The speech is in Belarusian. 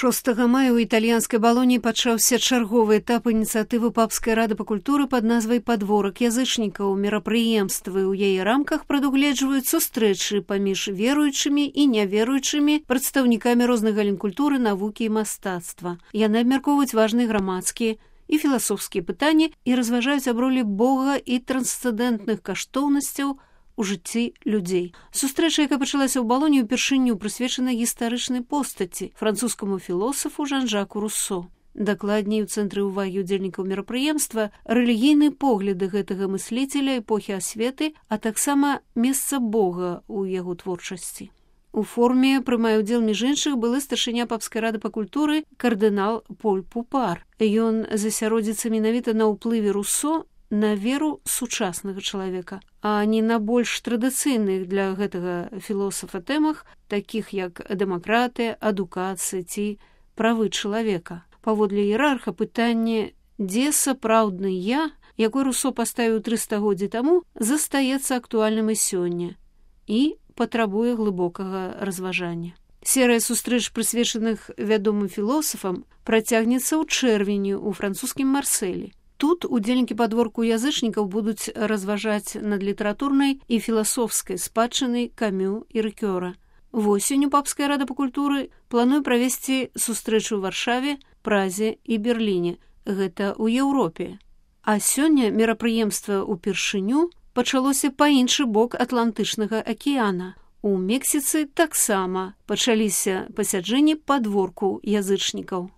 6 мая ў італьянскай Балоні пачаўся чарговы этап ініцыятывы Папскай рады па культуры пад назвай «Падворак язычнікаў». Мерапрыемствы ў яе рамках прадугледжваюць сустрэчы паміж веруючымі і няверуючымі прадстаўнікамі розных галін культуры, навукі і мастацтва. Яны абмяркоўваюць важныя грамадскія і філасофскія пытанні і разважаюць аб ролі Бога і трансцэндэнтных каштоўнасцяў у жыцці людзей. Сустрэча, якая пачалася ў Балоні, упершыню прысвечана гістарычнай постаці, французскаму філосафу Жан-Жаку Руссо. Дакладней, у цэнтры ўвагі ўдзельнікаў мерапрыемства рэлігійныя погляды гэтага мысліцеля эпохі асветы, а таксама месца Бога ў яго творчасці. У форуме прымае ўдзел між іншых былы старшыня Папскай рады па культуры кардынал Поль Пупар. Ён засяродзіцца менавіта на ўплыве Руссо на веру сучаснага чалавека, а не на больш традыцыйных для гэтага філосафа тэмах, такіх як дэмакратыя, адукацыя ці правы чалавека. Паводле іерарха пытанне «Дзе сапраўдны я?», якое Руссо паставіў 3 стагоддзі таму, застаецца актуальным і сёння і патрабуе глыбокага разважання. Серыя сустрэч, прысвечаных вядомым філосафам, працягнецца ў чэрвені ў французскім Марсэлі. Тут удзельнікі падворку язычнікаў будуць разважаць над літаратурнай і філасофскай спадчынай Камю і Рыкёра. Восенню Папская рада па культуры плануе правесці сустрэчу ў Варшаве, Празе і Берліне. Гэта ў Еўропе. А сёння мерапрыемства ўпершыню пачалося па іншы бок Атлантычнага акіяна. У Мексіцы таксама пачаліся пасяджэнні падворку язычнікаў.